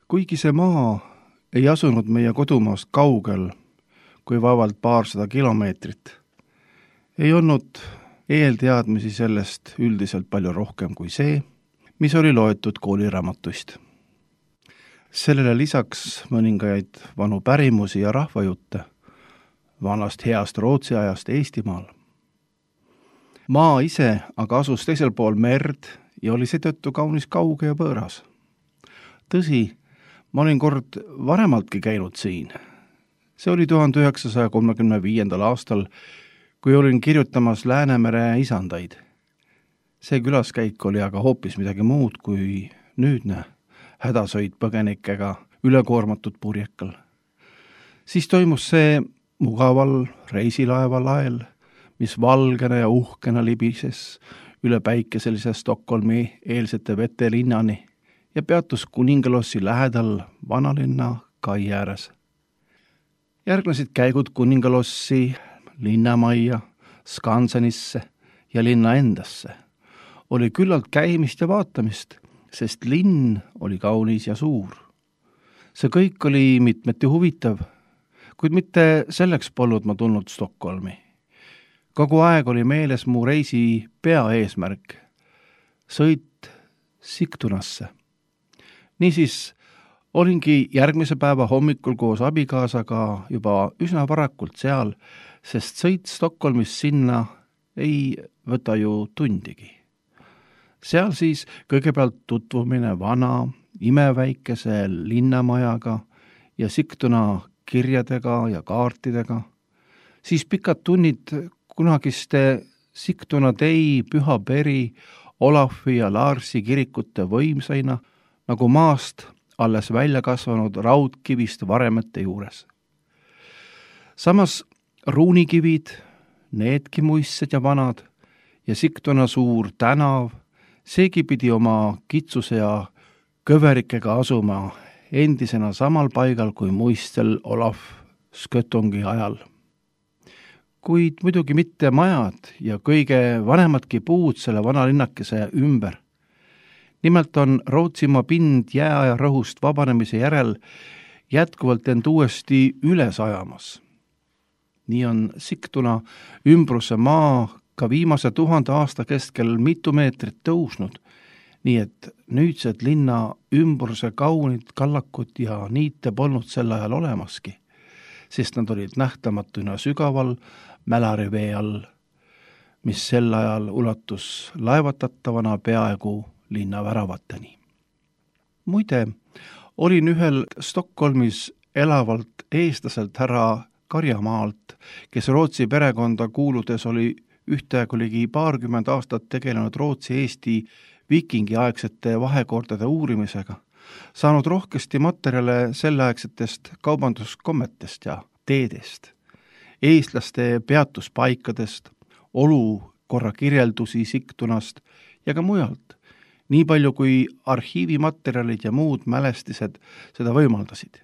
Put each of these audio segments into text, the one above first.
Kuigi see maa ei asunud meie kodumaast kaugel, kui vaevalt paarsada kilomeetrit, ei olnud eelteadmisi sellest üldiselt palju rohkem kui see, mis oli loetud kooliraamatuist. Sellele lisaks mõningaid vanu pärimusi ja rahvajutte vanast heast Rootsi ajast Eestimaal. Maa ise aga asus teisel pool merd ja oli seetõttu kaunis kauge ja võõras. Tõsi, ma olin kord varemaltki käinud siin. See oli 1935. aastal, kui olin kirjutamas Läänemere isandaid. See külaskäik oli aga hoopis midagi muud kui nüüdne hädasõit põgenikega ülekoormatud purjekal. Siis toimus see mugaval reisilaeva lael, mis valgena ja uhkena libises üle päikeselise Stockholmi eelsete vetelinnani ja peatus Kuningalossi lähedal vanalinna kai ääres. Järgnesid käigud Kuningalossi, linnamajja, Skansenisse ja linna endasse. Oli küllalt käimist ja vaatamist, sest linn oli kaunis ja suur. See kõik oli mitmeti huvitav, kuid mitte selleks polnud ma tulnud Stockholmi. Kogu aeg oli meeles mu reisi peaeesmärk, sõit Sigtunasse. Niisiis olingi järgmise päeva hommikul koos abikaasaga juba üsna varakult seal, sest sõit Stockholmis sinna ei võta ju tundigi. Seal siis kõigepealt tutvumine vana, imeväikese linnamajaga ja Sigtuna kirjadega ja kaartidega, siis pikad tunnid kunagiste Sigtuna tei, Püha Peri, Olafi ja Larsi kirikute võimsaina, nagu maast alles välja kasvanud raudkivist varemete juures. Samas ruunikivid, needki muistsed ja vanad ja Sigtuna suur tänav, seegi pidi oma kitsuse ja kõverikega asuma endisena samal paigal kui muistel Olaf Skötongi ajal. Kuid muidugi mitte majad ja kõige vanemadki puud selle vanalinnakese ümber. Nimelt on Rootsimaa pind jääaja rõhust vabanemise järel jätkuvalt end uuesti üles ajamas. Nii on Sigtuna ümbruse maa ka viimase 1000 aasta keskel mitu meetrit tõusnud, nii et nüüdsed linna ümbruse kaunid kallakud ja niite polnud sel ajal olemaski, sest nad olid nähtamatuna sügaval Mälarivee all, mis sel ajal ulatus laevatatavana peaaegu linna väravateni. Muide, olin ühel Stockholmis elavalt eestlaselt härra Karjamaalt, kes Rootsi perekonda kuuludes oli ühtaegu ligi 20 aastat tegelenud Rootsi-Eesti viikingiaegsete vahekordade uurimisega, saanud rohkesti materjale selleaegsetest kaubanduskommetest ja teedest, eestlaste peatuspaikadest, olukorra kirjeldusi Sigtunast ja ka mujalt, nii palju kui arhiivimaterjalid ja muud mälestised seda võimaldasid.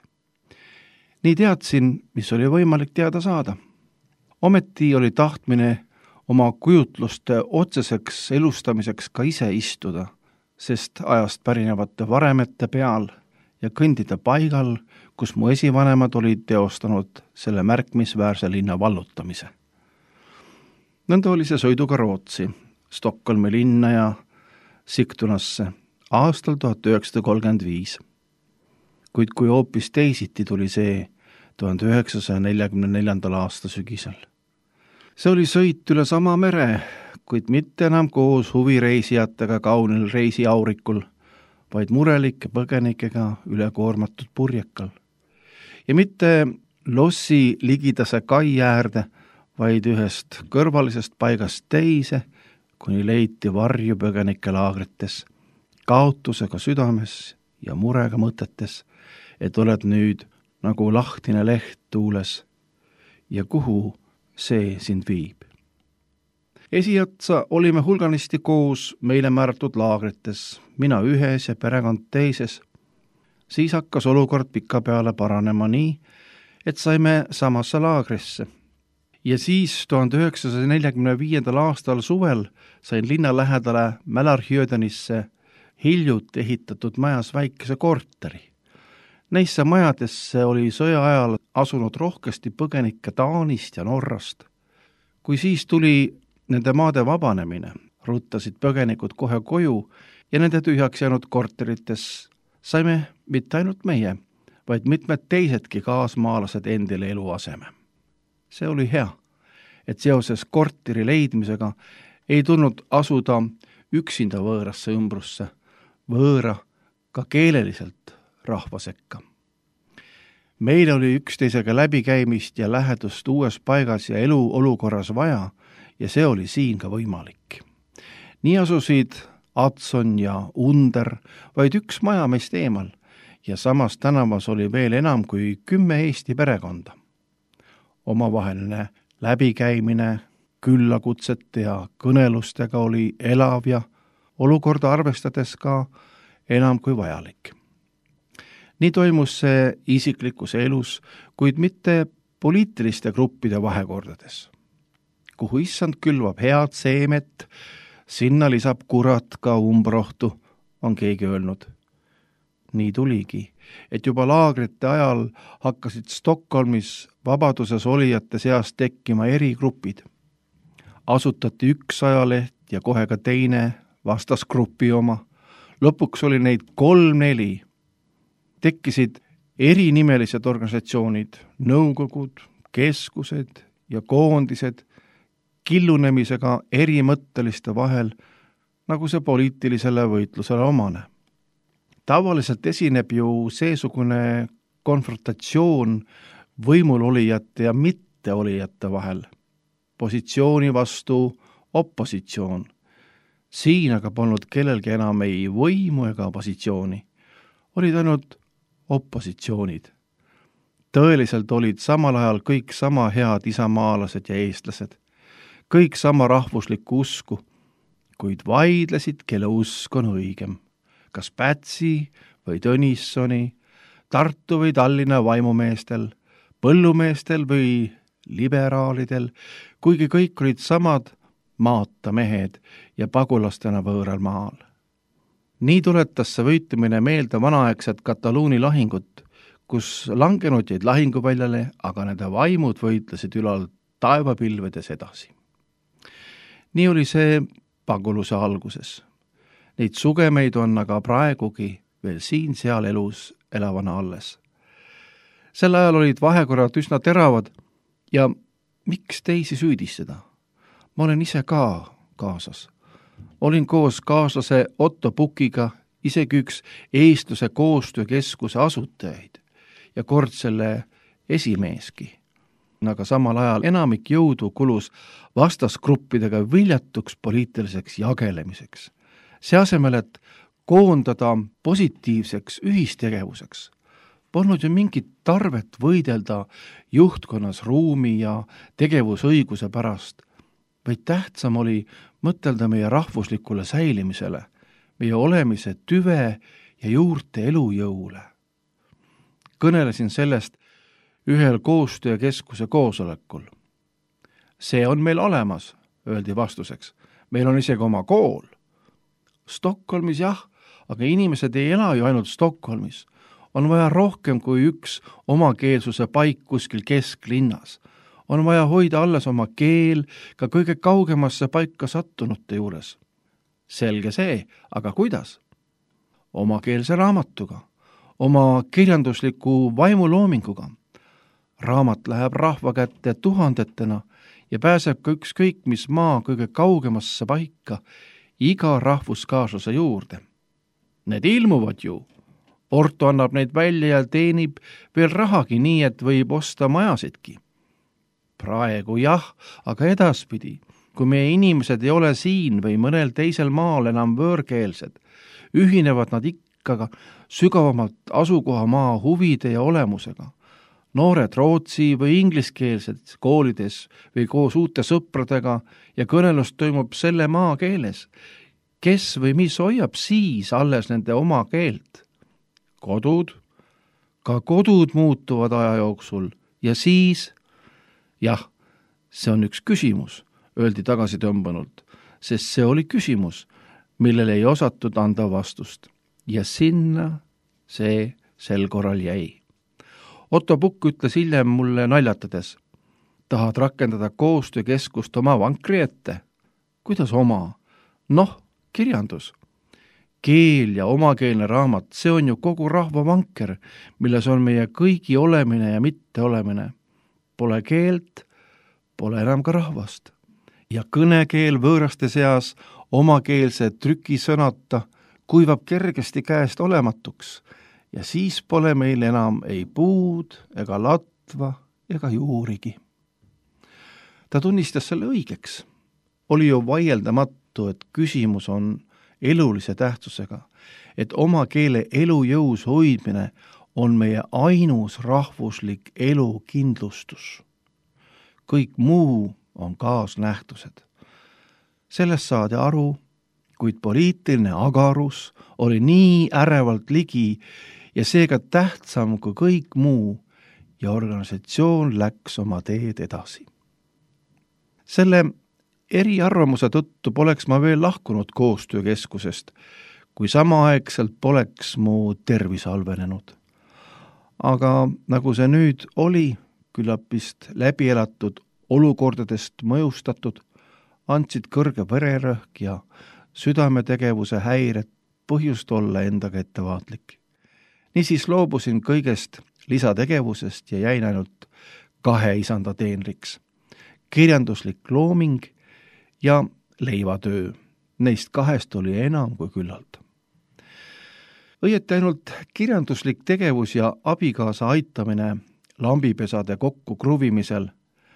Nii teadsin, mis oli võimalik teada saada. Ometi oli tahtmine oma kujutluste otseseks elustamiseks ka ise istuda, sest ajast pärinevate varemete peal ja kõndida paigal, kus mu esivanemad olid teostanud selle märkimisväärse linna vallutamise. Nõnda oli see sõiduga Rootsi, Stockholmi linna ja Sigtunasse aastal 1935. Kuid kui hoopis teisiti tuli see 1944. aasta sügisel. See oli sõit üle sama mere, kuid mitte enam koos huvireisijatega kaunil reisiaurikul, vaid murelike põgenikega ülekoormatud purjekal. Ja mitte lossi ligidase kai äärde, vaid ühest kõrvalisest paigast teise, kuni leiti varju põgenike laagrites, kaotusega südames ja murega mõtetes, et oled nüüd nagu lahtine leht tuules ja kuhu see sind viib. Esiotsa olime hulganisti koos meile määratud laagrites, mina ühes ja perekond teises. Siis hakkas olukord pikapeale paranema nii, et saime samasse laagrisse. Ja siis 1945. aastal suvel sain linna lähedale Mälarhjödenisse hiljut ehitatud majas väikese korteri, Neisse majadesse oli sõja ajal asunud rohkesti põgenikke Taanist ja Norrast. Kui siis tuli nende maade vabanemine, ruttasid põgenikud kohe koju ja nende tühjaks jäänud korterites saime mitte ainult meie, vaid mitmed teisedki kaasmaalased endile eluaseme. See oli hea, et seoses korteri leidmisega ei tulnud asuda üksinda võõrasse ümbrusse, võõra ka keeleliselt rahva sekka. Meil oli üksteisega läbikäimist ja lähedust uues paigas ja eluolukorras vaja ja see oli siin ka võimalik. Nii asusid Adson ja Under vaid üks maja meist eemal ja samas tänavas oli veel enam kui 10 Eesti perekonda. Omavaheline läbikäimine, küllakutsete ja kõnelustega oli elav ja olukorda arvestades ka enam kui vajalik. Nii toimus see isiklikus elus, kuid mitte poliitiliste gruppide vahekordades. Kuhu issand külvab head seemet, sinna lisab kurat ka umbrohtu, on keegi öelnud. Nii tuligi, et juba laagrite ajal hakkasid Stockholmis vabaduses olijate seas tekkima erigrupid. Asutati üks ajaleht ja kohe ka teine vastasgrupi oma. Lõpuks oli neid 3-4. Tekkisid erinimelised organisatsioonid, nõukogud, keskused ja koondised killunemisega erimõtteliste vahel, nagu see poliitilisele võitlusele omane. Tavaliselt esineb ju seesugune konfrontatsioon võimul olijate ja mitteolijate vahel, positsiooni vastu opositsioon. Siin aga polnud kellelgi enam ei võimu ega positsiooni, olid ainult opositsioonid. Tõeliselt olid samal ajal kõik sama head isamaalased ja eestlased, kõik sama rahvuslikku usku, kuid vaidlesid, kelle usk on õigem, kas Pätsi või Tõnissoni, Tartu või Tallinna vaimumeestel, põllumeestel või liberaalidel, kuigi kõik olid samad maata mehed ja pagulastena võõral maal. Nii tuletas see võitlemine meelde vanaaegset Kataluuni lahingut, kus langenud jäid lahinguväljale, aga nende vaimud võitlesid ülal taevapilvedes edasi. Nii oli see paguluse alguses. Neid sugemeid on aga praegugi veel siin-seal elus elavana alles. Sel ajal olid vahekorrad üsna teravad ja miks teisi süüdistada? Ma olen ise ka kaasas. Olin koos kaaslase Otto Pukiga isegi üks eestluse koostöökeskuse asutajaid ja kord selle esimeeski. Aga samal ajal enamik jõudu kulus vastasgruppidega viljatuks poliitiliseks jagelemiseks. See asemel, et koondada positiivseks ühistegevuseks, polnud ju mingit tarvet võidelda juhtkonnas ruumi ja tegevusõiguse pärast, vaid tähtsam oli mõtelda meie rahvuslikule säilimisele, meie olemise tüve ja juurte elujõule. Kõnelesin sellest ühel koostöökeskuse koosolekul. See on meil olemas, öeldi vastuseks. Meil on isegi oma kool. Stockholmis jah, aga inimesed ei ela ju ainult Stockholmis. On vaja rohkem kui üks omakeelsuse paik kuskil kesklinnas. On vaja hoida alles oma keel ka kõige kaugemasse paika sattunute juures. Selge see, aga kuidas? Omakeelse raamatuga, oma kirjandusliku vaimuloominguga. Raamat läheb rahva kätte tuhandetena ja pääseb ka ükskõik mis maa kõige kaugemasse paika iga rahvuskaaslase juurde. Need ilmuvad ju. Porto annab neid välja ja teenib veel rahagi nii, et võib osta majasidki. Praegu jah, aga edaspidi, kui meie inimesed ei ole siin või mõnel teisel maal enam võõrkeelsed, ühinevad nad ikka sügavamalt asukohamaa huvide ja olemusega. Noored rootsi või ingliskeelsed koolides või koos uute sõpradega ja kõnelus toimub selle maa keeles. Kes või mis hoiab siis alles nende oma keelt? Kodud, ka kodud muutuvad aja jooksul ja siis, jah, see on üks küsimus, öeldi tagasi tõmbanult, sest see oli küsimus, millele ei osatud anda vastust. Ja sinna see sel korral jäi. Otto Pukk ütles hiljem mulle naljatades: tahad rakendada koostöökeskust oma vankri ette? Kuidas oma? Noh, kirjandus. Keel ja omakeelne raamat, see on ju kogu rahva vanker, milles on meie kõigi olemine ja mitteolemine. Pole keelt, pole enam ka rahvast. Ja kõnekeel võõraste seas omakeelse trükisõnata kuivab kergesti käest olematuks ja siis pole meil enam ei puud ega latva ega juurigi. Ta tunnistas selle õigeks. Oli ju vaieldamatu, et küsimus on elulise tähtsusega, et oma keele elujõus hoidmine on meie ainus rahvuslik elukindlustus. Kõik muu on kaasnähtused. Sellest saadi aru, kuid poliitiline agarus oli nii ärevalt ligi ja seega tähtsam kui kõik muu ja organisatsioon läks oma teed edasi. Selle eriarvamuse tõttu poleks ma veel lahkunud koostöökeskusest, kui samaaegselt poleks mu tervis halvenenud. Aga nagu see nüüd oli, küllap vist läbi elatud olukordadest mõjustatud, andsid kõrge vererõhk ja südametegevuse häired põhjust olla endaga ettevaatlik. Niisiis loobusin kõigest lisategevusest ja jäin ainult 2 isanda teenriks. Kirjanduslik looming ja leivatöö. Neist 2 oli enam kui küllalt. Õieti ainult kirjanduslik tegevus ja abikaasa aitamine lambipesade kokku kruvimisel,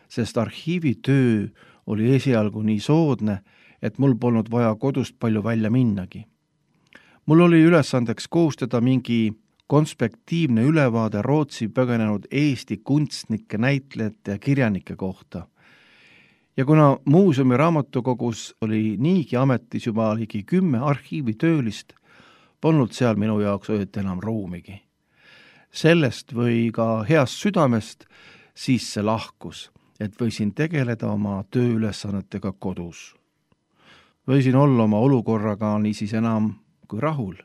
sest arhiivitöö oli esialgu nii soodne, et mul polnud vaja kodust palju välja minnagi. Mul oli ülesandeks koostada mingi konspektiivne ülevaade Rootsi põgenenud Eesti kunstnike, näitlejate ja kirjanike kohta. Ja kuna muuseumi raamatukogus oli niigi ametis juba ligi 10 arhiivitöölist, polnud seal minu jaoks õieti enam ruumigi. Sellest või ka heast südamest siis see lahkus, et võisin tegeleda oma tööülesannetega kodus. Võisin olla oma olukorraga niisiis enam kui rahul.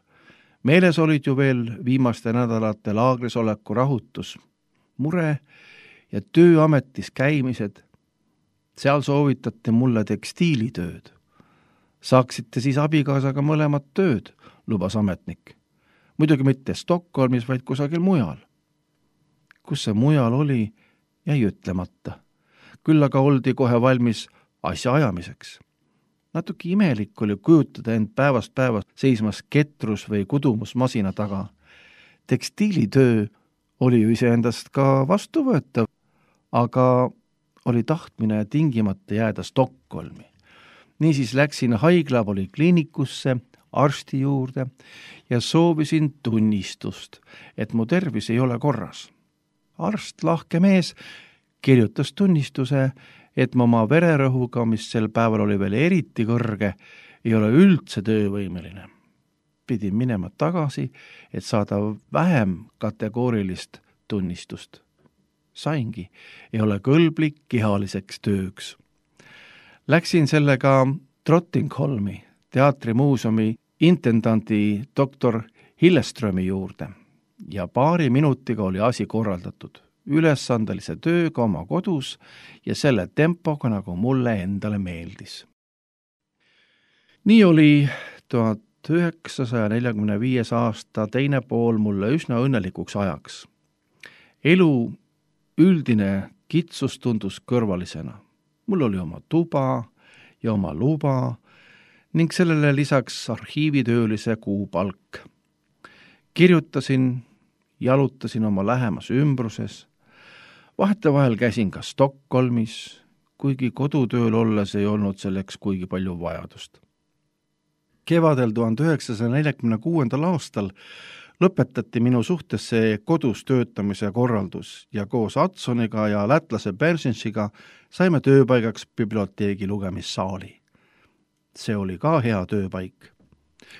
Meeles olid ju veel viimaste nädalate laagrisoleku rahutus, mure ja tööametis käimised. Seal soovitate mulle tekstiilitööd. Saaksite siis abikaasaga mõlemad tööd, lubas ametnik. Muidugi mitte Stockholmis, vaid kusagil mujal. Kus see mujal oli, jäi ütlemata. Küll aga oldi kohe valmis asja ajamiseks. Natuke imelik oli kujutada end päevast päevast seismas ketrus või kudumusmasina taga. Tekstiilitöö oli ju iseendast ka vastuvõetav, aga oli tahtmine tingimata jääda Stockholmi. Niisiis läksin haiglapolikliinikusse arsti juurde ja soovisin tunnistust, et mu tervis ei ole korras. Arst, lahke mees, kirjutas tunnistuse, et ma oma vererõhuga, mis sel päeval oli veel eriti kõrge, ei ole üldse töövõimeline. Pidin minema tagasi, et saada vähem kategoorilist tunnistust. Saingi, ei ole kõlblik kehaliseks tööks. Läksin sellega Trottingholmi teatrimuuseumi intendanti doktor Hilleströmi juurde ja 2 minutiga oli asi korraldatud. Ülesandelise tööga oma kodus ja selle tempoga, nagu mulle endale meeldis. Nii oli 1945. aasta teine pool mulle üsna õnnelikuks ajaks. Elu üldine kitsus tundus kõrvalisena. Mul oli oma tuba ja oma luba ning sellele lisaks arhiivitöölise kuupalk. Kirjutasin, jalutasin oma lähemas ümbruses. Vahetevahel käisin ka Stockholmis, kuigi kodutööl olles ei olnud selleks kuigi palju vajadust. Kevadel 1946. aastal lõpetati minu suhtes see kodus töötamise korraldus ja koos Adsoniga ja lätlase Bersensiga saime tööpaigaks biblioteegi lugemissaali. See oli ka hea tööpaik.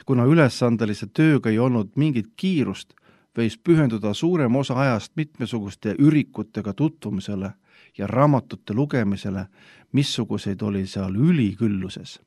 Kuna ülesandelise tööga ei olnud mingit kiirust, võis pühenduda suurem osa ajast mitmesuguste ürikutega tutvumisele ja raamatute lugemisele, missuguseid oli seal ülikülluses.